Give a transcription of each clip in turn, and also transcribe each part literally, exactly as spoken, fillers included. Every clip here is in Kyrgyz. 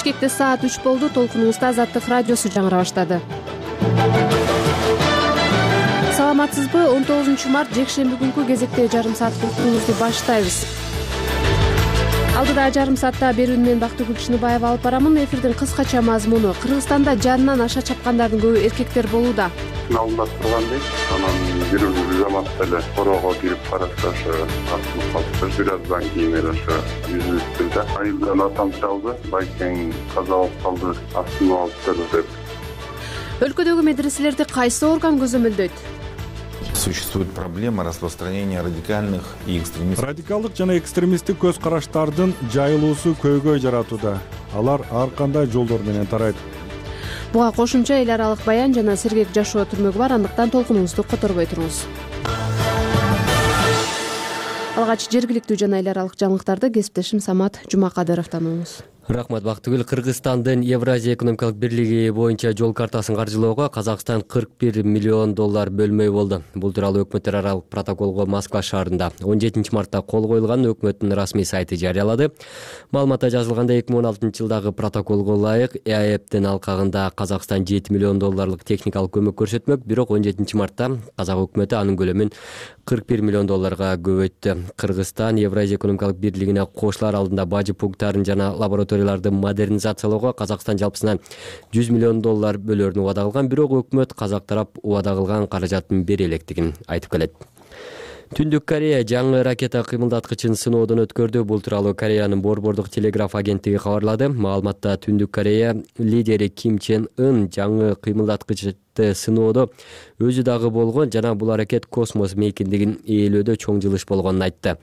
Бишкекте саат үч болду. Толкунуңузда Азаттык радиосу жаңыра баштады. Саламатсызбы? он тогузунчу март жекшемби күнкү кезекте жарым сааттык уктуруубузду баштайбыз. Алдыда жарым саатта берүүнү мен Бактыгүл Чыныбаева алып барамын. Эфирдин кыскача мазмуну: Кыргызстанда жанынан аша чапкандардын көбү эркектер болууда. Алдында тургандай, анан бирөө заматта эле короого кирип караса, ошо артылып калса, бир аздан кийин эле ошо жүзүктү да айылдан атам чалды, байкең каза болуп калды, астын алып деп. Өлкөдөгү медреселерди кайсы орган көзөмөлдөйт? Существует проблема распространения радикальных и экстремистских. Радикалдык жана экстремисттик көз караштардын жайылуусу көйгөй жаратууда. Алар ар кандай жолдор менен тарайт. Буга кошумча эл аралык баян жана сергек жашоо түрмөгү бар, андыктан толкунуңузду которбой туруңуз. Алгач жергиликтүү жана эл аралык жаңылыктарды кесиптешим Самат Жумакадыровдон угуңуз. Рахмат, Бактыгүл. Кыргызстандын Евразия экономикалык бирлиги боюнча жол картасын каржылоого Казакстан кырк бир миллион доллар бөлмөй болду. Бул тууралуу өкмөттөр аралык протоколго Москва шаарында он жетинчи мартта кол коюлган өкмөттүн расмий сайты жарыялады. Маалыматта жазылгандай, эки миң он алтынчы жылдагы протоколго ылайык ЭАЭптин алкагында Казакстан жети миллион долларлык техникалык көмөк көрсөтмөк, бирок он жетинчи мартта Казак өкмөтү анын көлөмүн кырк бир миллион долларга көбөйттү. Кыргызстан Евразия экономикалык бирлигине кошулар алдында бажы пункттарын жана лабораторияларды модернизациялоого Казакстан жалпысынан жүз миллион доллар бөлөрүнү убада кылган, бирок өкмөт казак тарап убада кылган каражаттын бере электигин айтып келет. Түндүк Корея жаңы ракета кыймылдаткычын сыноодон өткөрдү. Бул тууралуу Кореянын борбордук телеграф агенттиги кабарлады. Маалыматта Түндүк Корея лидери Ким Чен Ын жаңы кыймылдаткычты сыноодо өзү дагы болгон жана бул аракет космос мейкиндигин ээлөөдө чоң жылыш болгонун айтты.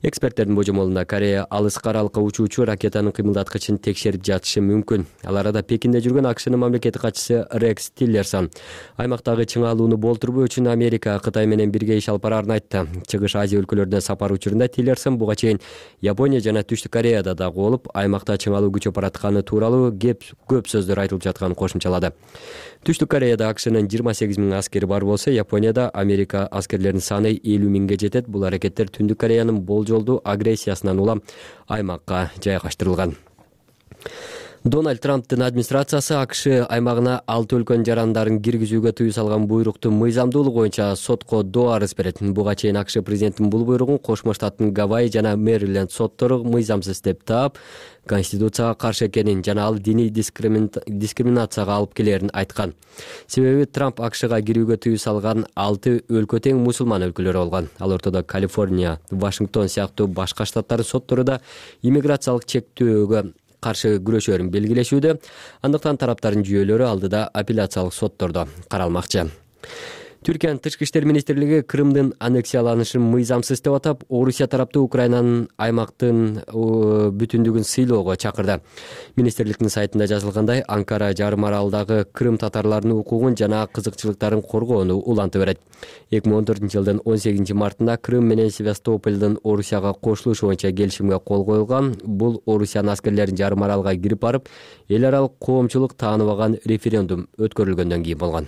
Эксперттердин божомолунда Корея алыска аралыкка учуучу ракетанын кыймылдаткычын текшерип жатышы мүмкүн. Ал арада Пекинде жүргөн АКШнын мамлекеттик катчысы Рекс Тиллерсон аймактагы чыңалууну болтурбоо үчүн Америка Кытай менен бирге иш алып бараарын айтты. Чыгыш Азия өлкөлөрүнө сапар учурунда Тиллерсон буга чейин Япония жана Түштүк Кореяда дагы болуп, аймакта чыңалуу күчөп баратканы тууралуу көп сөздөр айтылып жатканын кошумчалады. Түштүк Кореяда АКШнын жыйырма сегиз миң аскери бар болсо, Японияда Америка аскерлеринин саны элүү миңге жетет. Бул аракеттер Түндүк Кореянын болжолдуу агрессиясынан улам аймакка жайгаштырылган. Дональд Трамптын администрациясы АКШ аймагына алты өлкөнүн жарандарын киргизүүгө тыюу салган буйруктун мыйзамдуулугу боюнча сотко доо арыз берет. Буга чейин АКШ президентинин бул буйругун Кошмо Штаттын Гавайи жана Мэриленд соттору мыйзамсыз деп таап, Конституцияга каршы экенин жана ал диний дискриминацияга алып келерин айткан. Себеби Трамп АКШга кирүүгө тыюу салган алты өлкө тең мусулман өлкөлөр болгон. Ал ортодо Калифорния, Вашингтон сыяктуу башка штаттардын соттору да иммиграциялык чектөөгө каршы күрөшөрүн белгилешүүдө. Андыктан тараптардын жүйөлөрү алдыда апелляциялык соттордо каралмакчы. Түркиянын тышкы иштер министрлиги Крымдын аннексияланышын мыйзамсыз деп атап, Орусия тараптуу Украинанын аймактын бүтүндүгүн сыйлоого чакырды. Министрликтин сайтында жазылгандай, Анкара жарым аралдагы Крым татарларынын укугун жана кызыкчылыктарын коргоону уланты берет. эки миң он төртүнчү жылдын он сегизинчи мартында Крым менен Севастополдун Орусияга кошулушу боюнча келишимге кол коюлган. Бул Орусиянын аскерлерин жарым аралга кирип барып, эл аралык коомчулук тааныбаган референдум өткөрүлгөндөн кийин болгон.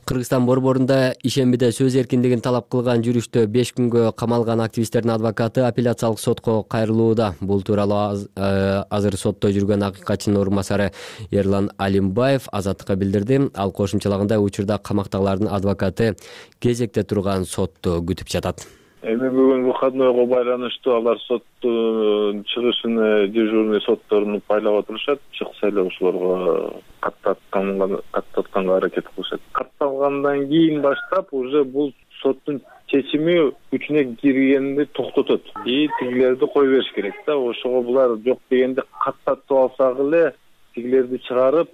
Кыргызстан борборунда ишембиде сөз эркиндигин талап кылган жүрүштө беш күнгө камалган активисттердин адвокаты апелляциялык сотко кайрылууда. Бул тууралуу азыр сотто жүргөн акыйкатчынын орун басары Эрлан Алимбаев Азаттыкка билдирди. Ал кошумчалагандай, учурда камактагылардын адвокаты кезекте турган сотту күтүп жатат. Эми бүгүн выходнойго байланыштуу алар соттун чыгышын дежурный сотторуну байлап отурушат. Чыкса эле ошолорго каттатканга каттатканга аракет кылышат. Катталгандан кийин баштап уже бул соттун чечими күчүнө киргенди токтотот. И тигилерди кое бериш керек да. Ошого булар жок дегенде каттатып алсак эле тигилерди чыгарып,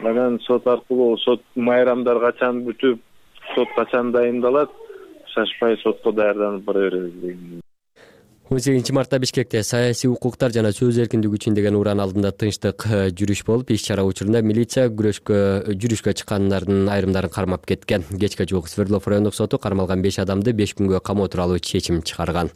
анан сот аркылуу сот майрамдар качан бүтүп, сот качан дайындалат, шашпай сотко даярданып бара беребиз. он сегизинчи мартта Бишкекте саясий укуктар жана сөз эркиндиги үчүн деген уран алдында тынчтык жүрүш болуп, иш-чара учурунда милиция күрөшкө жүрүшкө чыккандардын айрымдарын кармап кеткен. Кечке жуук Свердлов райондук соту кармалган беш адамды беш күнгө камоо тууралуу чечим чыгарган.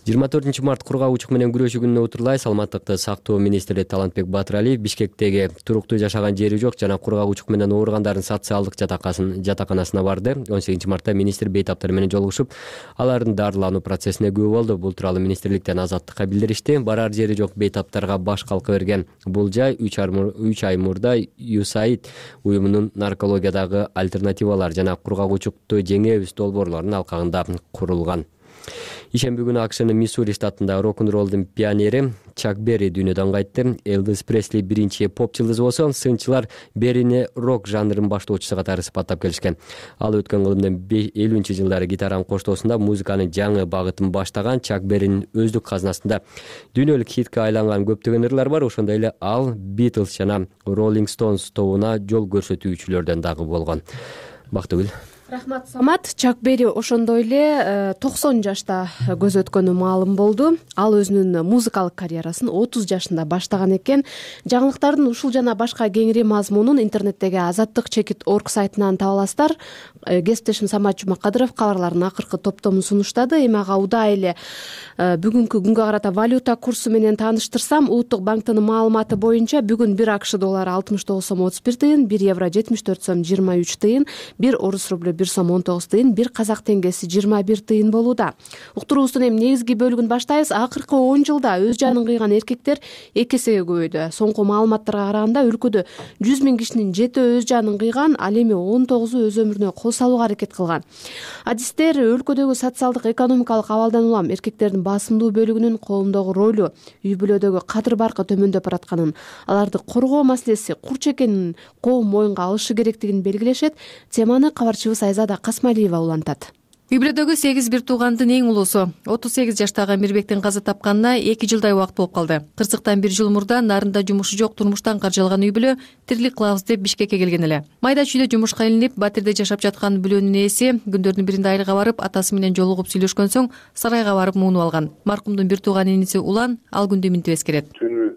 жыйырма төртүнчү март кургак учук менен күрөшүү күнүнө утурлай саламаттыкты сактоо министри Талантбек Батыралиев Бишкектеги туруктуу жашаган жери жок жана кургак учук менен ооругандардын социалдык жатаканасына барды. он сегизинчи мартта министр бейтаптар менен жолугушуп, алардын дарылануу процессине күбө болду. Бул тууралуу министрликтен Азаттыкка билдиришти. Барар жери жок бейтаптарга баш калкы берген бул жай үч ай мурда ю эс эй ай ди уюмунун наркологиядагы альтернативалар жана кургак учукту жеңебиз долбоорлорунун алкагында курулган. Ишемби күнү АКШнын Миссури штатында рок-н-ролдун пионери Чак Берри дүйнөдөн кайтты. Элвис Пресли биринчи поп жылдызы болсо, сынчылар Беррини рок жанрынын баштоочусу катары сыпаттап келишкен. Ал өткөн кылымдын элүүнчү жылдары гитаранын коштоосунда музыканын жаңы багытын баштаган. Чак Берринин өздүк казынасында дүйнөлүк хитке айланган көптөгөн ырлар бар. Ошондой эле ал Beatles жана Rolling Stones тобуна жол көрсөтүүчүлөрдөн дагы болгон. Бактыгүл. Рахмат, Самат. Чак Берри ошондой эле токсон жашта көз өткөнү маалым болду. Ал өзүнүн музыкалык карьерасын отуз жашында баштаган экен. Жаңылыктардын ушул жана башка кеңири мазмунун интернеттеги азаттык чекит точка орг сайтынан таба аласыздар. Кесиптешим Самат Жумакадыров кабарлардын акыркы топтомун сунуштады. Эми ага удай эле бүгүнкү күнгө карата валюта курсу менен тааныштырсам, Улуттук банктын маалыматы боюнча бүгүн бир АКШ доллары алтымыш тогуз сом отуз бир тыйын, бир евро жетимиш төрт сом жыйырма үч тыйын, бир орус рублю бир сом он тогуз тыйын, бир казак теңгеси жыйырма бир тыйын болууда. Уктуруубуздун эми негизги бөлүгүн баштайбыз. Акыркы он жылда өз жанын кыйган эркектер эки эсеге көбөйдү. Соңку маалыматтарга караганда өлкөдө жүз миң кишинин жетөө өз жанын кыйган, ал эми он тогузу өз өмүрүнө кол салууга аракет кылган. Адистер өлкөдөгү социалдык экономикалык абалдан улам эркектердин басымдуу бөлүгүнүн коомдогу ролу, үй бүлөдөгү кадыр баркы төмөндөп баратканын, аларды коргоо маселеси курч экенин коом моюнга алышы керектигин белгилешет. Теманы кабарчыбыз Айзада Касмалиева улантат. Үй бүлөдөгү сегиз бир туугандын эң улуусу отуз сегиз жаштагы Мирбектин каза тапканына эки жылдай убакыт болуп калды. Кырсыктан бир жыл мурда нарында жумушу жок турмуштан каржалган үй бүлө тирилик кылабыз деп Бишкекке келген эле. Майда чүйдө жумушка илинип, Батирде жашап жаткан бүлөнүн ээси күндөрдүн биринде айылга барып, атасы менен жолугуп сүйлөшкөн соң сарайга барып муунуп алган. Маркумдун бир тууган иниси Улан ал күндү минтип эскерет.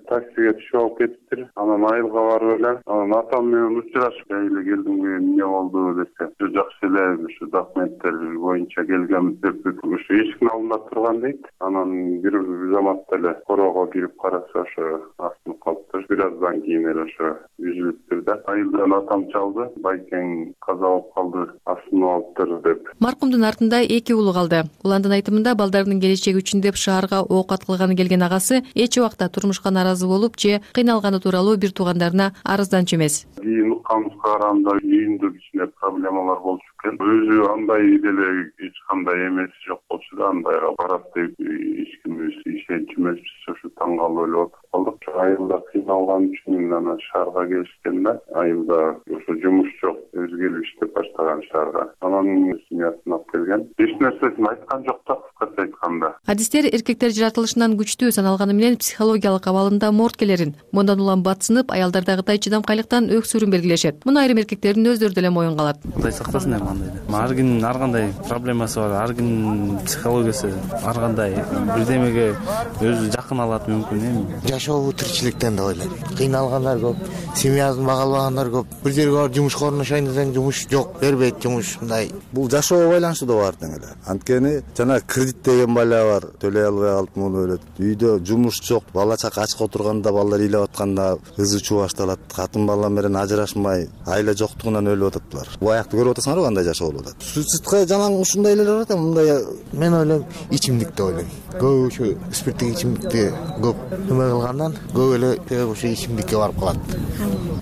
Таксиге түшүп алып кетиптир. Анан айылга барып эле, анан атам менен учурашып эле келдим, эмне болду десе, жакшы эле, ушу документтер боюнча келгенбиз деп, ушу эшиктин алдында турган дейт. Анан бир заматта эле короого кирип караса, ошо астынып калыптыр. Бир аздан кийин эле ошо үзүлүптүр да. Айылдан атам чалды, байкең каза болуп калды, астынып алыптыр деп. Маркумдун артында эки уулу калды. Уландын айтымында балдарынын келечеги үчүн деп шаарга ок аткылганы келген агасы эч убакта турмушка наразы болуп же кыйналганы тууралуу бир туугандарына арызданчу эмес. Кийин укканыбызга караганда үйүндө кичине проблемалар болчу экен. Өзү андай деле эч кандай эмеси жок болчу да, андайга барат деп эч ким ишенчү эмеспиз. Ошо таң калып эле отуруп калдык. Айылда кыйналган үчүн анан шаарга келишкен да. Айылда ошо жумуш жок, өзгөлүп иштеп баштаган шаарга. Анан семьясын алып келген. Эч нерсесин айткан жок да, кыскача айтканда. Адистер эркектер жаратылышынан күчтүү саналганы менен психологиялык абалында морткелерин, мындан улам батсынып, аялдардагыдай чыдамкайлыктан өксүрүн белгилешет. Муну айрым эркектердин өздөрү деле моюнга алат. Кудай сактасын эми андай. Ар кимдин ар кандай проблемасы бар, ар кимдин психологиясы ар кандай бирдемеге өзү жакын алат мүмкүн эми. Жашоо тиричиликтен деп ойлойм. Кыйналгандар көп, семьясын бага албагандар көп. Бир жерге барып жумушка орношойн десең жумуш жок, бербейт жумуш мындай. Бул жашоого байланыштуу да бар тең эле. Анткени жана кредит деген бала бар, төлөй албай калып муну өлөт. Үйдө жумуш жок, бала чака ачка отурганда, балдар ыйлап атканда ызы чуу башталат. Катын бала менен ажырашмай, айла жоктугунан өлүп атыптыр. Бу аякты көрүп атасыңарбы кандай жашоо болуп атат? Суицидка жанаң ушундай эле бар да, мындай. Мен ойлойм, ичимдик деп ойлойм. Көп ушу спирттик ичимдикти көп эме кылгандан көп эле ушу ичимдикке барып калат.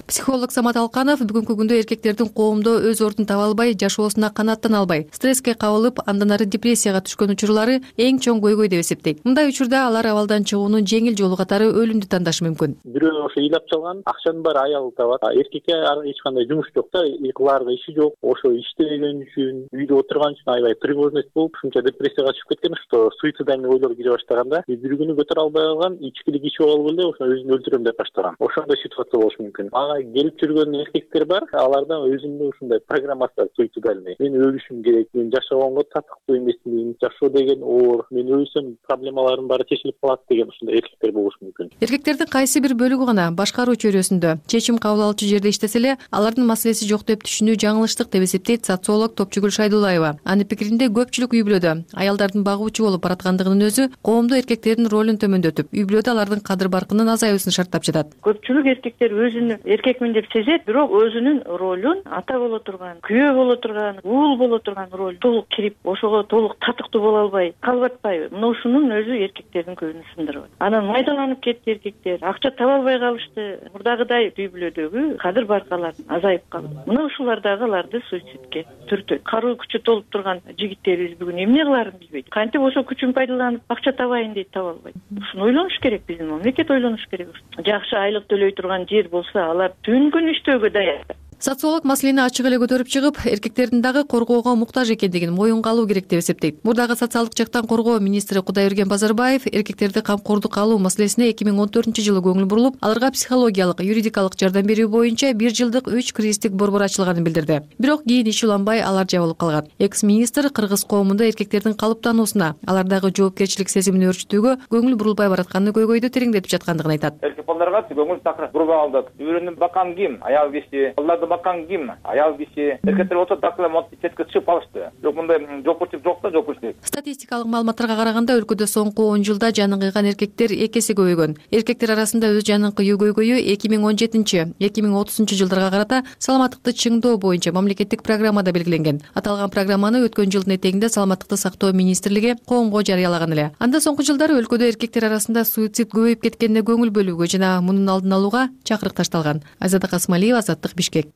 Психолог Самат Алканов бүгүнкү күндө эркектердин коомдо өз ордун таба албай, жашоосуна канааттана албай, стресске кабылып, андан ары депрессияга түшкөн учурлары эң чоң көйгөй деп эсептейт. Мындай учурда алар абалдан чыгуунун жеңил жолу катары өлүмдү тандашы мүмкүн. Бирөө ошо ыйлап чалган, акчанын баары аялы табат. Эркекке эч кандай жумуш жок да, кылаарга иши жок. Ошо иштебеген үчүн, үйдө отурган үчүн аябай тревожность болуп, ушунча депрессияга түшүп кеткен, что суицидальный ойлор кире баштаганда, бир күнү көтөрө албай калган, ичкилик ичип алып эле ошо өзүн өлтүрөм деп баштаган. Ошондой ситуация болушу мүмкүн. Ага келип жүргөн эркектер бар, алардан өзүнүн ушундай программасы бар, суицидальный. Мен өлүшүм керек, мен жашагонго татыктуу эмесмин, жашоо деген оор, мен өлсөм проблемаларым баары чечилип калат деген ушундай эркектер болушу мүмкүн. Эркектердин кайсы бир бөлүгү гана башкаруу чөйрөсүндө чечим кабыл алуучу жерде иштесе эле, алардын маселеси жок деп түшүнүү күчтүү жаңылыштык деп эсептейт социолог Топчугүл Шайдуллаева. Анын пикиринде көпчүлүк үй бүлөдө аялдардын багуучу болуп бараткандыгынын өзү коомдо эркектердин ролун төмөндөтүп, үй бүлөдө алардын кадыр баркынын азаюусун шарттап жатат. Көпчүлүк эркектер өзүн эркекмин деп сезет, бирок өзүнүн ролун ата боло турган, күйөө боло турган, уул боло турган роль толук кирип, ошого толук татыктуу боло албай, калбатпайбы. Мына ушунун өзү эркектердин көбүн сындырып. Анан майдаланып кетти эркектер, акча таба албай калышты. Мурдагыдай үй бүлөдөгү кадыр баркалар азайып калды. Мына ушулар дагы аларды суицидке түртөт. Каруу күчү толуп турган жигиттерибиз бүгүн эмне кыларын билбейт. Кантип ошо күчүн пайдаланып акча табайын дейт, таба албайт. Ушуну ойлонуш керек, биздин мамлекет ойлонуш керек. Жакшы айлык төлөй турган жер болсо, алар түн күн иштөөгө даяр. Социолог маселени ачык эле көтөрүп чыгып, эркектердин дагы коргоого муктаж экендигин моюнга алуу керек деп эсептейт. Мурдагы социалдык жактан коргоо министри Кудайберген Базарбаев эркектерди камкордукка алуу маселесине эки миң он төртүнчү жылы көңүл бурулуп, аларга психологиялык, юридикалык жардам берүү боюнча бир жылдык үч кризистик борбор ачылганын билдирди. Бирок кийин иш уланбай алар жабылып калган. Экс-министр кыргыз коомунда эркектердин калыптануусуна, алардагы жоопкерчилик сезимин өөрчүтүүгө көңүл бурулбай баратканын көйгөйдү тереңдетип жаткандыгын айтат. Эркек балдарга көңүл такыр бурбай калдык. Үйрөнүп баккан ким? Аял киши. Балдарды баккан ким? Аял киши. Эркектер болсо такыр монтип четке чыгып калышты. Жок, мындай жоопкерчилик жок да, жоопкерчилик. Статистикалык маалыматтарга караганда өлкөдө соңку он жылда жанын кыйган эркектер эки эсе көбөйгөн. Эркектер арасында өз жанын кыюу көйгөйү эки миң он жетинчи — эки миң отузунчу жылдарга карата саламаттыкты чыңдоо боюнча мамлекеттик программада белгиленген. Аталган программаны өткөн жылдын этегинде Саламаттыкты сактоо министрлиги коомго жарыялаган эле. Анда соңку жылдары өлкөдө эркектер арасында суицид көбөйүп кеткенине көңүл бөлүүгө жана мунун алдын алууга чакырык ташталган. Айзада Касмалиева, Азаттык, Бишкек.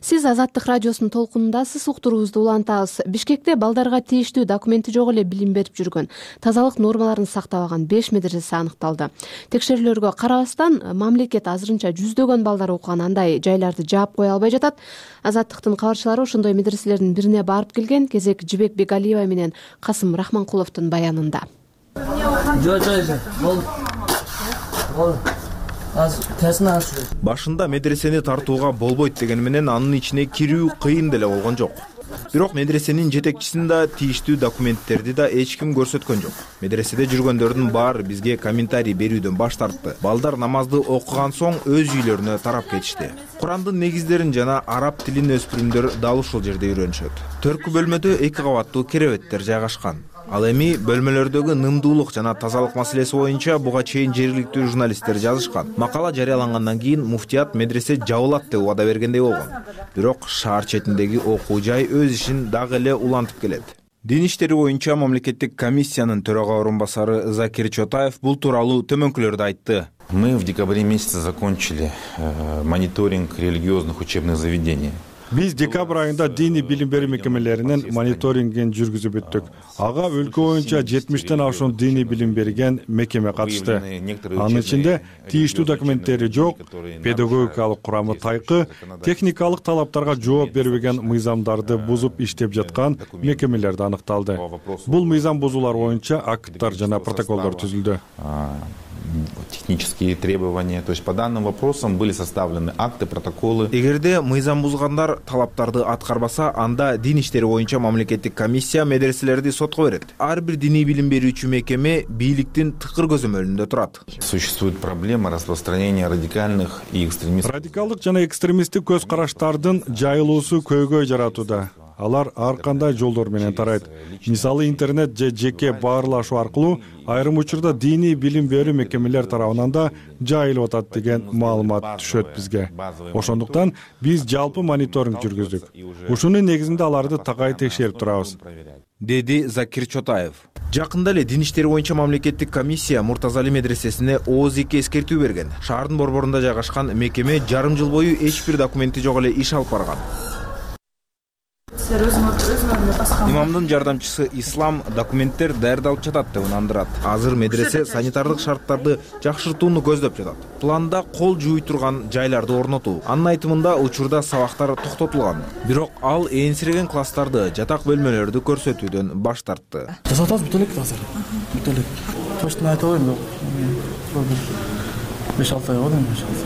Сиз Азаттык радиосунун толкунундасыз. Уктуруубузду улантабыз. Бишкекте балдарга тийиштүү документи жок эле билим берип жүргөн, тазалык нормаларын сактабаган беш медресе аныкталды. Текшерүүлөргө карабастан, мамлекет азырынча жүздөгөн балдар окуган андай жайларды жаап кое албай жатат. Азаттыктын кабарчылары ошондой медреселердин бирине барып келген. Кезек Жибек Бегалиева менен Касым Рахманкуловдун баянында. Башында медресени тартууга болбойт дегени менен анын ичине кирүү кыйын деле болгон жок. Бирок медресенин жетекчисин да, тийиштүү документтерди да эч ким көрсөткөн жок. Медреседе жүргөндөрдүн баары бизге комментарий берүүдөн баш тартты. Балдар намазды окуган соң өз үйлөрүнө тарап кетишти. Курандын негиздерин жана араб тилин өспүрүмдөр дал ушул жерде үйрөнүшөт. Төркү бөлмөдө эки кабаттуу керебеттер жайгашкан. Ал эми бөлмөлөрдөгү нымдуулук жана тазалык маселеси боюнча буга чейин жергиликтүү журналисттер жазышкан. Макала жарыялангандан кийин муфтият медресе жабылат деп убада бергендей болгон. Бирок шаар четиндеги окуу жай өз ишин дагы эле улантып келет. Дин иштери боюнча мамлекеттик комиссиянын төрага орун басары Закир Чотаев бул тууралуу төмөнкүлөрдү айтты. Мы в декабре месяце закончили э, мониторинг религиозных учебных заведений. Биз декабрь айында диний билим берүү мекемелеринин мониторингин жүргүзүп бүттүк. Ага өлкө боюнча жетимиштен ашуун диний билим берген мекеме катышты. Анын ичинде тийиштүү документтери жок, педагогикалык курамы тайкы, техникалык талаптарга жооп бербеген мыйзамдарды бузуп иштеп жаткан мекемелерди аныкталды. Бул мыйзам бузуулар боюнча акттар жана протоколдор түзүлдү. Технические требования, то есть по данным вопросам были составлены акты, протоколы. Эгерде мыйзам бузгандар талаптарды аткарбаса, анда дин иштери боюнча мамлекеттик комиссия медреселерди сотко берет. Ар бир диний билим берүүчү мекеме бийликтин тыкыр көзөмөлүндө турат. Существует проблема распространения радикальных и экстремистских. Радикалдык жана экстремисттик көз караштардын жайылуусу көйгөй жаратууда. Алар ар кандай жолдор менен тарайт. Мисалы интернет же жеке баарлашуу аркылуу айрым учурда диний билим берүү мекемелер тарабынан да жайылып атат деген маалымат түшөт бизге. Ошондуктан биз жалпы мониторинг жүргүздүк. Ушунун негизинде аларды такай текшерип турабыз, деди Закир Чотаев. Жакында эле дин иштери боюнча мамлекеттик комиссия Муртазали медресесине ооз эки эскертүү берген. Шаардын борборунда жайгашкан мекеме жарым жыл бою эч бир документи жок эле иш алып барган. Имамдын жардамчысы Ислам документтер даярдалып жатат деп ынандырат. Азыр медресе санитардык шарттарды жакшыртууну көздөп жатат. Планда кол жууй турган жайларды орнотуу. Анын айтымында учурда сабактар токтотулган. Бирок ал энсиреген класстарды, жатак бөлмөлөрдү көрсөтүүдөн баш тартты. Жасатабыз бүт элек азыр. Бүт элек. Точно айта албайм. беш алты ай болду.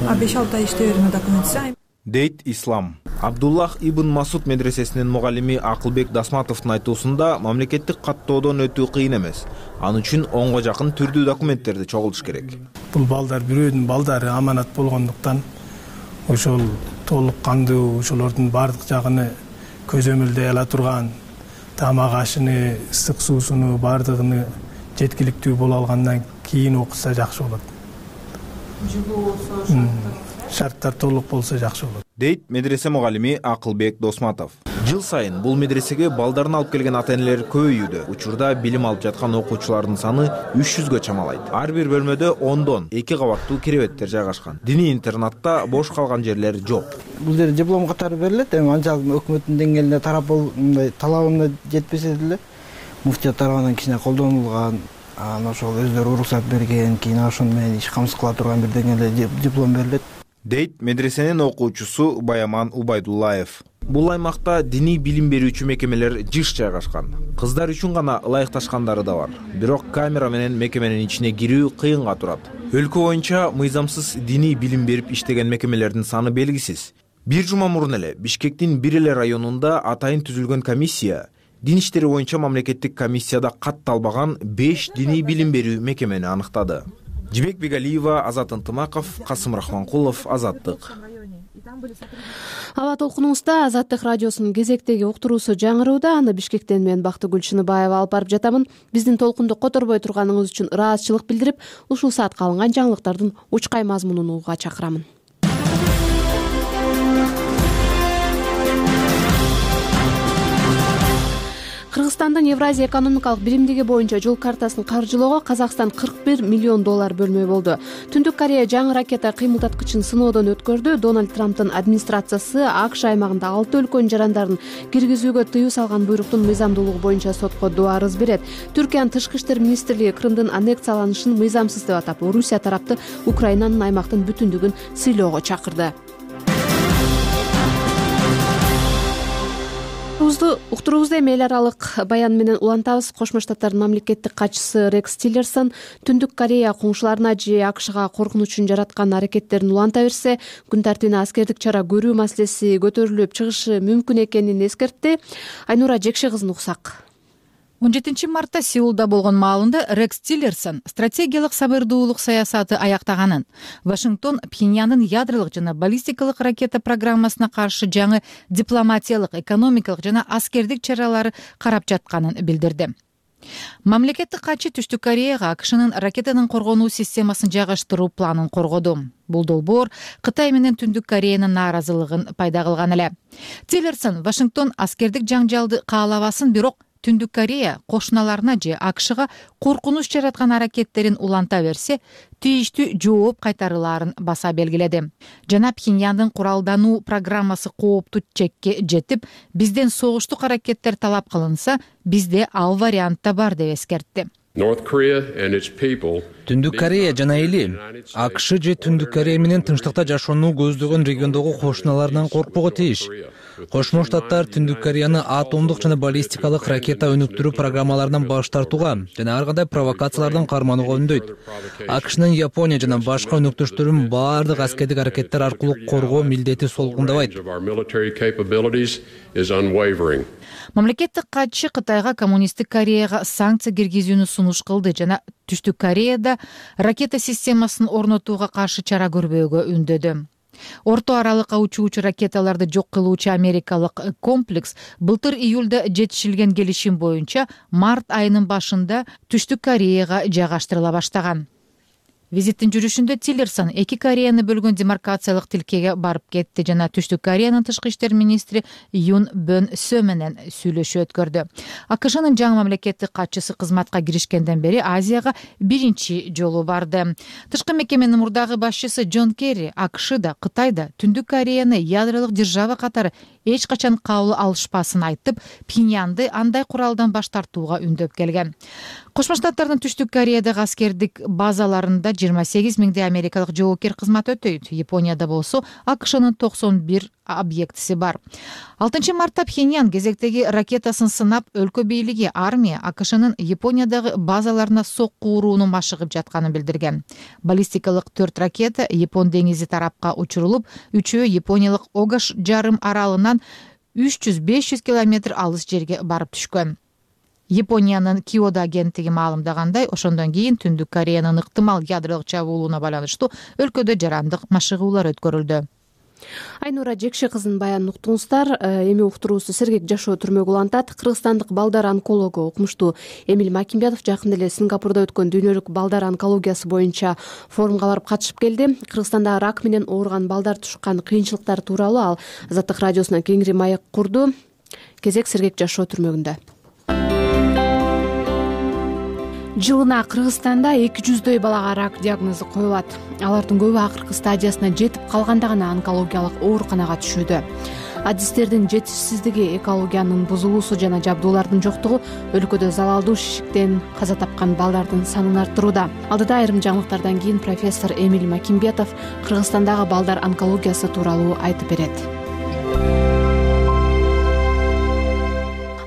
А беш алты ай иштей берме документси? Дейт Ислам. Абдуллах ибн Масуд медресесинин мугалими Акылбек Дасматовдун айтуусунда мамлекеттик каттоодон өтүү кыйын эмес. Ал үчүн онго жакын түрдүү документтерди чогултуш керек. Бул балдар бирөөнүн балдары аманат болгондуктан ошол толук кандуу ошолордун баардык жагын көзөмөлдөй ала турган тамак ашыны, ысык суусуну баардыгын жеткиликтүү боло алгандан кийин окуса жакшы болот. Жылуу болсо, шарттар толук болсо жакшы болот, дейт медресе мугалими Акылбек Досматов. Жыл сайын бул медресеге балдарын алып келген ата-энелер көбөйүүдө. Учурда билим алып жаткан окуучулардын саны үч жүзгө чамалайт. Ар бир бөлмөдө ондон эки кабаттуу керебеттер жайгашкан. Диний интернатта бош калган жерлер жок. Бул жер диплом катары берилет, эми анчалык өкмөттүн деңгээлинде тарап мындай талабына жетпесе деле муфтият тарабынан кичине колдонулган, анан ошол өздөрү уруксат берген, кийин ошону менен иш камсыз кыла турган бир деңгээлде диплом берилет, дейт медресенин окуучусу Баяман Убайдуллаев. Бул аймакта диний билим берүүчү мекемелер жыш жайгашкан. Кыздар үчүн гана ылайыкташкандары да бар. Бирок камера менен мекеменин ичине кирүү кыйынга турат. Өлкө боюнча мыйзамсыз диний билим берип иштеген мекемелердин саны белгисиз. Бир жума мурун эле Бишкектин бир эле районунда атайын түзүлгөн комиссия дин иштери боюнча мамлекеттик комиссияда катталбаган беш диний билим берүү мекемени аныктады. Жибек Бегалиева, Азат Ынтымаков, Касым Рахманкулов, Азаттык. Аба толкунубузда Азаттык радиосунун кезектеги уктуруусу жаңырууда. Аны Бишкектен мен Бактыгүл Чыныбаева алып барып жатамын. Биздин толкунду которбой турганыңыз үчүн ыраазычылык билдирип, ушул саатка алынган жаңылыктардын учкай мазмунун угууга чакырамын. Кыргызстандын Евразия экономикалык биримдиги боюнча жол картасын каржылоого Казакстан кырк бир миллион доллар бөлмөй болду. Түндүк Корея жаңы ракета кыймылдаткычын сыноодон өткөрдү. Дональд Трамптын администрациясы АКШ аймагында алты өлкөнүн жарандарын киргизүүгө тыюу салган буйруктун мыйзамдуулугу боюнча сотко доо арыз берет. Түркиянын тышкы иштер министрлиги Крымдын аннексияланышын мыйзамсыз деп атап, Орусия тарапты Украинанын аймактын бүтүндүгүн сыйлоого чакырды. Уктуруубузду эми эл аралык баян менен улантабыз. Кошмо Штаттардын мамлекеттик катчысы Рекс Тиллерсон Түндүк Корея коңшуларына же АКШга коркунучун жараткан аракеттерин уланта берсе, күн тартибине аскердик чара көрүү маселеси көтөрүлүп чыгышы мүмкүн экенин эскертти. Айнура Жекши кызын уксак. он жетинчи мартта Сеулда болгон маалында Рекс Тиллерсон стратегиялык сабырдуулук саясаты аяктаганын, Вашингтон Пхеньяндын ядролук жана баллистикалык ракета программасына каршы жаңы дипломатиялык, экономикалык жана аскердик чаралары карап жатканын билдирди. Мамлекеттик катчы Түштүк Кореяга АКШнын ракетанын коргонуу системасын жайгаштыруу планын коргоду. Бул долбоор Кытай менен Түндүк Кореянын нааразылыгын пайда кылган эле. Тиллерсон Вашингтон аскердик жаңжалды каалабасын, бирок Түндүк Корея кошуналарына же АКШга коркунуч жараткан аракеттерин уланта берсе, тийиштүү жооп кайтарылаарын баса белгиледи. Жана Пхеньяндын куралдануу программасы кооптуу чекке жетип, бизден согуштук аракеттер талап кылынса, бизде ал вариант да бар деп эскертти. Түндүк Корея жана эли АКШ же Түндүк Корея менен тынчтыкта жашоону көздөгөн региондогу кошуналарынан коркпого тийиш. Кошмо Штаттар Түндүк Кореяны атомдук жана баллистикалык ракета өнүктүрүү программаларынан баш тартууга жана ар кандай провокациялардан карманууга үндөйт. АКШнын Япония жана башка өнөктөштөрүн баардык аскердик аракеттер аркылуу коргоо милдети солгундабайт. Мамлекеттик катчы Кытайга коммунисттик Кореяга санкция киргизүүнү сунуш кылды жана Түштүк Кореяда ракета системасын орнотууга каршы чара көрбөөгө үндөдү. Орто аралыкка учуучу ракеталарды жок кылуучу америкалык комплекс былтыр июлда жетишилген келишим боюнча март айынын башында Түштүк Кореяга жайгаштырыла баштаган. Визиттин жүрүшүндө Тиллерсон эки Кореяны бөлгөн демаркациялык тилкеге барып кетти жана Түштүк Кореянын тышкы иштер министри Юн Бөн Сө менен сүйлөшүү өткөрдү. АКШнын жаңы мамлекеттик катчысы кызматка киришкенден бери Азияга биринчи жолу барды. Тышкы мекеменин мурдагы башчысы Джон Керри АКШда, Кытайда Түндүк Кореяны ядролук держава катары эч качан кабыл алышпасын айтып, Пхеньянды андай куралдан баш тартууга үндөп келген. Кошмо Штаттардын Түштүк Кореядагы аскердик базаларында жыйырма сегиз миңдей америкалык жоокер кызмат өтөйт. Японияда болсо АКШнын токсон бир объектиси бар. алтынчы мартта Пхеньян кезектеги ракетасын сынап, өлкө бийлиги, армия АКШнын Япониядагы базаларына сокку урууну машыгып жатканын билдирген. Баллистикалык төрт ракета Япон деңизи тарапка учурулуп, үчөө Япониялык Огаш жарым аралынан үч жүз беш жүз километр алыс жерге барып түшкөн. Япониянын Киодо агенттиги маалымдагандай, ошондон кийин Түндүк Кореянын ыктымал ядролук чабуулуна байланыштуу өлкөдө жарандык машыгуулар өткөрүлдү. Айнура Жекше кызынын баянын уктуңуздар. Эми уктуруубузду сергек жашоо түрмөгү улантат. Кыргызстандык балдар онкологу укмуштуу Эмиль Макимбетов жакында эле Сингапурда өткөн дүйнөлүк балдар онкологиясы боюнча форумга барып катышып келди. Кыргызстанда рак менен ооруган балдар тушкан кыйынчылыктар тууралуу ал Азаттык радиосуна кеңири маек курду. Кезек сергек жашоо түрмөгүндө. Жылына Кыргызстанда эки жүздөй балага рак диагнозу коюлат. Алардын көбү акыркы стадиясына жетип калганда гана онкологиялык ооруканага түшүүдө. Адистердин жетишсиздиги, экологиянын бузулуусу жана жабдуулардын жоктугу өлкөдө залалдуу шишиктен каза тапкан балдардын санын арттырууда. Алдыда айрым жаңылыктардан кийин профессор Эмиль Макимбетов Кыргызстандагы балдар онкологиясы тууралуу айтып берет.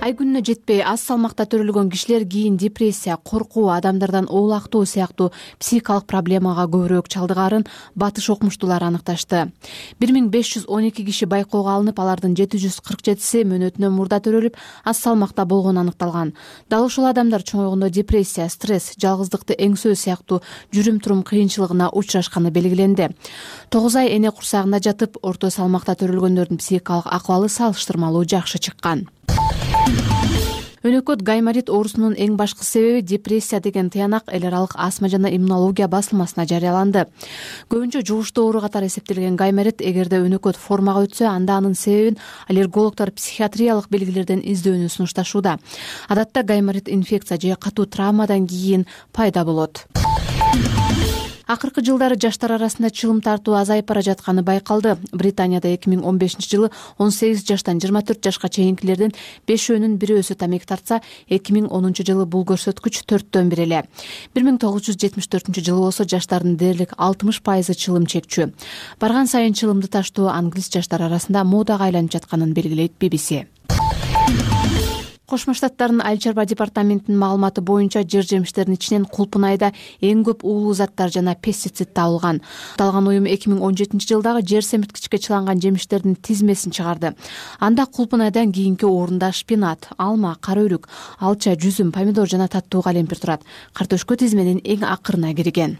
Ай күнүнө жетпей аз салмакта төрөлгөн кишилер кийин депрессия, коркуу, адамдардан оолактоо сыяктуу психикалык проблемага көбүрөөк чалдыгаарын батыш окумуштуулар аныкташты. бир миң беш жүз он эки киши байкоого алынып, алардын жети жүз кырк жетиси мөөнөтүнөн мурда төрөлүп, аз салмакта болгону аныкталган. Дал ушул адамдар чоңойгондо депрессия, стресс, жалгыздыкты эңсөө сыяктуу жүрүм-турум кыйынчылыгына учурашканы белгиленди. тогуз ай эне курсагында жатып, орто салмакта төрөлгөндөрдүн психикалык акыбалы салыштырмалуу жакшы чыккан. Өнөкөт гайморит оорусунун эң башкы себеби депрессия деген тыянак эл аралык астма жана иммунология басылмасына жарыяланды. Көбүнчө жугуштуу оору катары эсептелген гайморит эгерде өнөкөт формага өтсө, анда анын себебин аллергологдор психиатриялык белгилерден издөөнү сунушташууда. Адатта гайморит инфекция же катуу травмадан кийин пайда болот. Акыркы жылдары жаштар арасында чылым тартуу азайып бара жатканы байкалды. Британияда эки миң он бешинчи жылы он сегиз жаштан жыйырма төрт жашка чейинкилердин бешөөнүн бирөөсү тамеки тартса, эки миң онунчу жылы бул көрсөткүч төрттөн бир эле. бир миң тогуз жүз жетимиш төртүнчү жылы болсо жаштардын дээрлик алтымыш пайызы чылым чекчү. Барган сайын чылымды таштоо англис жаштар арасында модага айланып жатканын белгилейт би би си. Кошмо Штаттардын айыл чарба департаментинин маалыматы боюнча жер жемиштердин ичинен кулпун айда эң көп уулуу заттар жана пестицид табылган. Аталган уюм эки миң он жетинчи жылдагы жер семирткичке чыланган жемиштердин тизмесин чыгарды. Анда кулпун айдан кийинки орунда шпинат, алма, кара өрүк, алча, жүзүм, помидор жана таттуу калемпир турат. Картөшкө тизменин эң акырына кирген.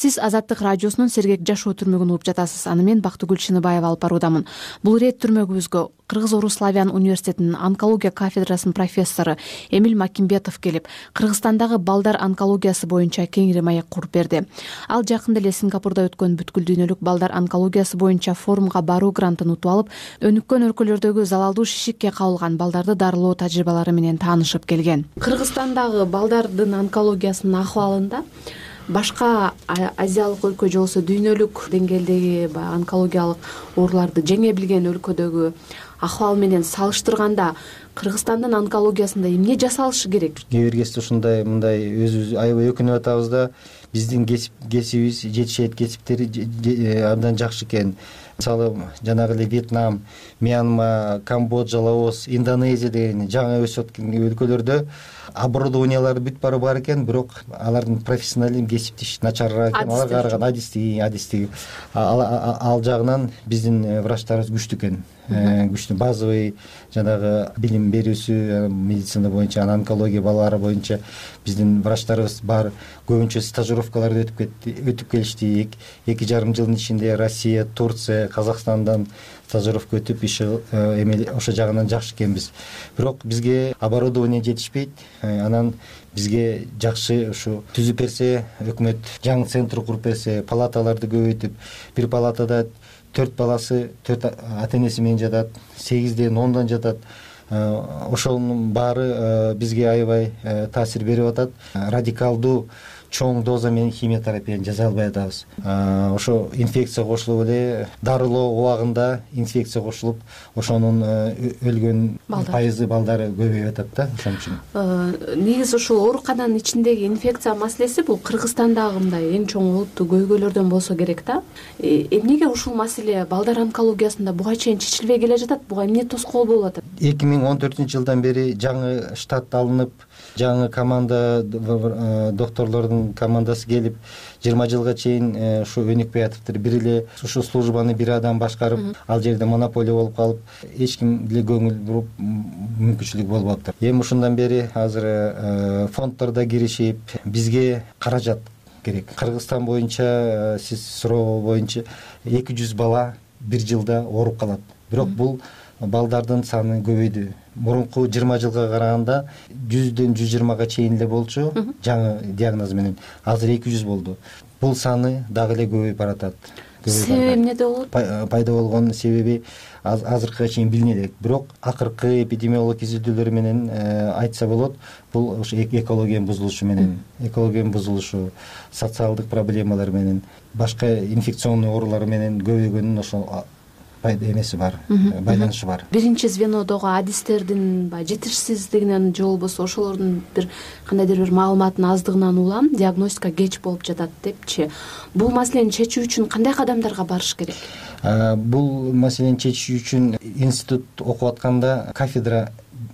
Сиз Азаттык радиосунун сергек жашоо түрмөгүн угуп жатасыз. Аны мен Бактыгүл Шыныбаева алып баруудамын. Бул ирет түрмөгүбүзгө Кыргыз-Орус славян университетинин онкология кафедрасынын профессору Эмиль Макимбетов келип, Кыргызстандагы балдар онкологиясы боюнча кеңири маек куруп берди. Ал жакында эле Сингапурда өткөн бүткүл дүйнөлүк балдар онкологиясы боюнча форумга баруу грантын утуп алып, өнүккөн өлкөлөрдөгү залалдуу шишикке кабылган балдарды дарылоо тажрыйбалары менен таанышып келген. Кыргызстандагы балдардын онкологиясынын акыбалында башка азиялык өлкө же болбосо дүйнөлүк деңгээлдеги баягы онкологиялык ооруларды жеңе билген өлкөдөгү акыбал менен салыштырганда Кыргызстандын онкологиясында эмне жасалышы керек? Кээ бир кезде ушундай мындай өзүбүз аябай өкүнүп атабыз да, биздин кесибибиз, жетишет кесиптери абдан жакшы экен. Мисалы, жанагы эле Вьетнам, Мьянма, Камбоджа, Лаос, Индонезия деген жаңы өсүп аткан өлкөлөрдө оборудованиялары бүт бары бар экен, бирок алардын профессионализм кесиптеш начарыраак экен. Аларга караган адистиги, адистиги ал жагынан биздин врачтарыбыз күчтүү экен. Күчтүү базовый жанагы билим берүүсү медицина боюнча, онкология балалары боюнча биздин врачтарыбыз бар. Көбүнчө стажировкаларды өтүп кетти, өтүп келишти. эки жарым жылдын ичинде Россия, Турция, Казакстандан стажировка өтүп иши эми ошо жагынан жакшы экенбиз. Бирок бизге оборудование жетишпейт. Анан бизге жакшы ушу түзүп берсе, өкмөт жаңы центр куруп берсе, палаталарды көбөйтүп, бир палатада төрт баласы, төрт ата-энеси менен жатат, сегизден ондан жатат. Ошонун баары бизге аябай таасир берип атат. Радикалдуу чоң доза менен химиотерапияны жасай албай атабыз. Ошо инфекция кошулуп эле дарылоо убагында инфекция кошулуп, ошонун өлгөн пайызы балдары көбөйүп атат да, ошон үчүн. Негизи ушул оорукананын ичиндеги инфекция маселеси бул Кыргызстандагы мындай эң чоң олуттуу көйгөйлөрдөн болсо керек да. Эмнеге ушул маселе балдар онкологиясында буга чейин чечилбей келе жатат? Буга эмне тоскоол болуп атат? эки миң он төртүнчү жылдан бери жаңы штат алынып, жаңы команда, докторлордун командасы келип, жыйырма жылга чейин ушу өнүкпөй атыптыр. Бир эле ушу службаны бир адам башкарып, ал жерде монополия болуп калып, эч ким деле көңүл буруп мүмкүнчүлүк болуп атыптыр. Эми ушундан бери азыр фонддордо киришип, бизге каражат керек. Кыргызстан боюнча сиз суроо боюнча эки жүз бала бир жылда ооруп калат. Бирок бул балдардын саны көбөйдү. Мурунку жыйырма жылга караганда жүздөн жүз жыйырмага чейин эле болчу жаңы диагноз менен. Азыр эки жүз болду. Бул саны дагы эле көбөйүп баратат. Себеби эмнеде болот? Пайда болгон себеби азыркыга чейин билине элек. Бирок акыркы эпидемиологик изилдөөлөр менен айтса болот, бул ошо экологиянын бузулушу менен, экологиянын бузулушу, социалдык проблемалар менен, башка инфекционный оорулар менен көбөйгөнүн ошо эмеси бар, байланышы бар. Биринчи звенодогу адистердин баягы жетишсиздигинен же болбосо ошолордун бир кандайдыр бир маалыматтын аздыгынан улам диагностика кеч болуп жатат депчи. Бул маселени чечүү үчүн кандай кадамдарга барыш керек? Бул маселени чечүү үчүн институт окуп атканда кафедра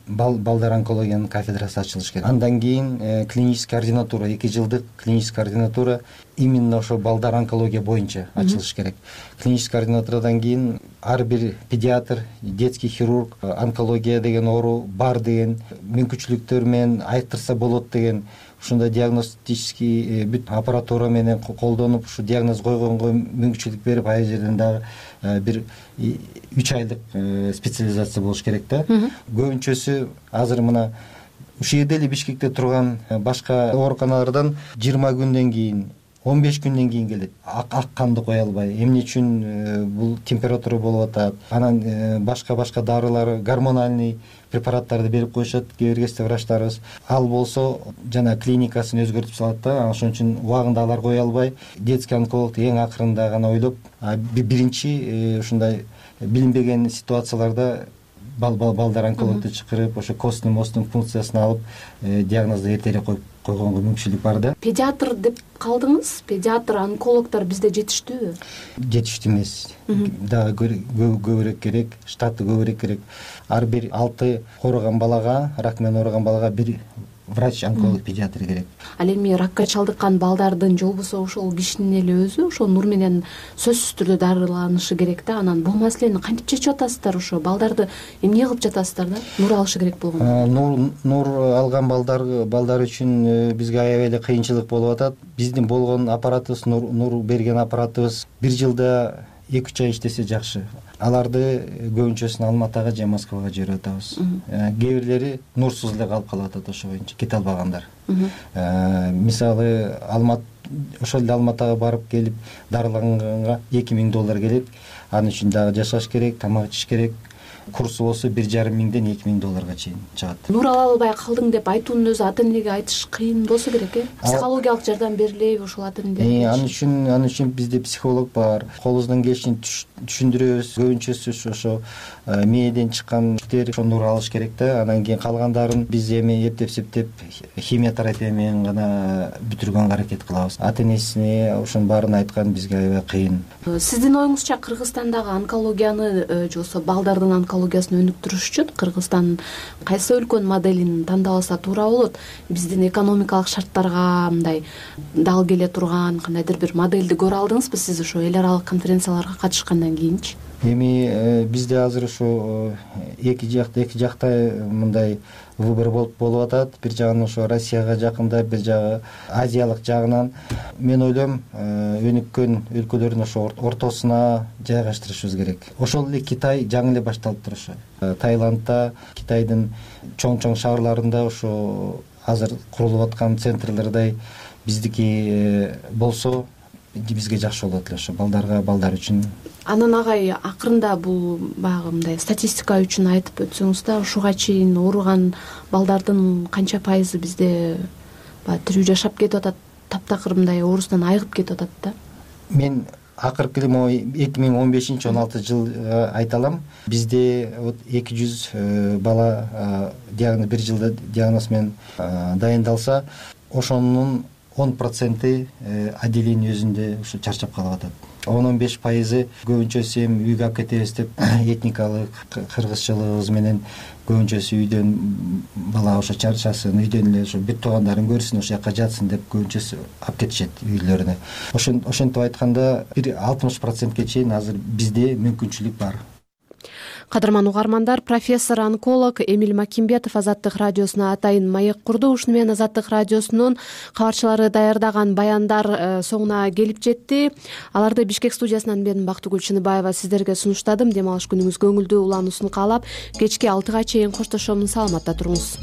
балдар онкологиянын кафедрасы ачылыш керек. Андан кийин клинический ординатура, эки жылдык клинический ординатура именно ошо балдар онкология боюнча ачылыш керек. Клинический ординатурадан кийин ар бир педиатр, детский хирург онкология деген оору бар деген мүмкүнчүлүктөр менен айыктырса болот деген ушундай диагностический бүт аппаратура менен колдонуп ушу диагноз койгонго мүмкүнчүлүк берип, ай жерден дагы бир үч айлык специализация болуш керек да. Көбүнчөсү азыр мына ушул жерде эле Бишкекте турган башка ооруканалардан жыйырма күндөн кийин, он беш күндөн кийин келет. Ак канды кое албай. Эмне үчүн бул температура болуп атат? Анан башка башка дарылар, гормональный препараттарды берип коюшат кээ бир кезде врачтарыбыз. Ал болсо жана клиникасын өзгөртүп салат да. Ошон үчүн убагында алар кое албай, детский онколог эң акырында гана ойлоп, биринчи ушундай билинбеген ситуацияларда балдар онкологду чакырып, ошо костный мозгдун функциясын алып, диагнозду эртерээк коюп койгонго мүмкүнчүлүк бар да. Педиатр деп калдыңыз. Педиатр, онкологдор бизде жетиштүүбү? Жетиштүү эмес. Дагы көбүрөөк керек, штаты көбүрөөк керек. Ар бир алты ооруган балага, рак менен ооруган балага бир врач, онколог, педиатр керек. Ал эми ракка чалдыккан балдардын же болбосо ошол кишинин эле өзү ошо нур менен сөзсүз түрдө дарыланышы керек да. Анан бул маселени кантип чечип атасыздар? Ошо балдарды эмне кылып жатасыздар да? Нур алышы керек болгондо. Нур нур алган балдар балдар үчүн бизге аябай эле кыйынчылык болуп атат. Биздин болгон аппаратыбыз, нур берген аппаратыбыз бир жылда эки үч ай иштесе жакшы. Аларды көбүнчөсүн Алматага же Москвага жиберип атабыз. Кээ бирлери нурсуз эле калып калып атат, ошо боюнча кете албагандар. Мисалы Алмат ошол эле Алматага барып келип дарыланганга эки миң доллар келет. Анын үчүн дагы жашаш керек, тамак ичиш керек. Курсу болсо бир жарым миңден эки миң долларга чейин чыгат. Нур ала албай калдың деп айтуунун өзү ата энеге айтыш кыйын болсо керек, э? Психологиялык жардам берилеби ошол ата энелерге? Анын үчүн анын үчүн бизде психолог бар. Колубуздан келишин түшүндүрөбүз. Көбүнчөсү ошо мээден чыккан ошо нур алыш керек да. Анан кийин калгандарын биз эми эптеп-септеп химия терапия менен гана бүтүргөнгө аракет кылабыз. Ата энесине ошонун баарын айткан бизге аябай кыйын. Сиздин оюңузча Кыргызстандагы онкологияны же болбосо балдардын онкологиясын өнүктүрүш үчүн Кыргызстан кайсы өлкөнүн моделин тандап алса туура болот? Биздин экономикалык шарттарга мындай дал келе турган кандайдыр бир модельди көрө алдыңызбы сиз ошо эл аралык конференцияларга катышкандан кийинчи? Эми бизде азыр ушу эки жакта эки жакта мындай выбор болуп болуп атат. Бир жагынан ошо Россияга жакында, бир жагы Азиялык жагынан. Мен ойлойм, өнүккөн өлкөлөрдүн ошо ортосуна жайгаштырышыбыз керек. Ошол эле Китай жаңы эле башталыптыр ошо. Таиландда, Китайдын чоң-чоң шаарларында ошо азыр курулуп аткан центрлердей биздики болсо бизге жакшы болот эле ошо балдарга, балдар үчүн. Анан агай акырында бул баягы мындай статистика үчүн айтып өтсөңүз да, ушуга чейин ооруган балдардын канча пайызы бизде баягы тирүү жашап кетип атат, таптакыр мындай оорусунан айыгып кетип атат да? Мен акыркы эле эки миң он бешинчи он алтынчы жыл айта алам. Бизде вот эки жүз бала диагноз бир жылда диагноз менен дайындалса, ошонун он проценти отделение өзүндө ушу чарчап калып атат. он он беш пайызы көбүнчөсү эми үйгө алып кетебиз деп этникалык кыргызчылыгыбыз менен көбүнчөсү үйдөн бала ошо чарчасын, үйдөн эле ошо бир туугандарын көрсүн, ошол жака жатсын деп көбүнчөсү алып кетишет үйлөрүнө. Ошон ошентип айтканда бир алтымыш процентке чейин азыр бизде мүмкүнчүлүк бар. Кадырман угармандар, профессор онколог Эмиль Макимбетов Азаттык радиосуна атайын маек курду. Ушуну менен Азаттык радиосунун кабарчылары даярдаган баяндар соңуна келип жетти. Аларды Бишкек студиясынан мен Бактыгүл Чыныбаева сиздерге сунуштадым. Дем алыш күнүңүз көңүлдүү улануусун каалап, кечки алтыга чейин коштошомун. Саламатта туруңуз.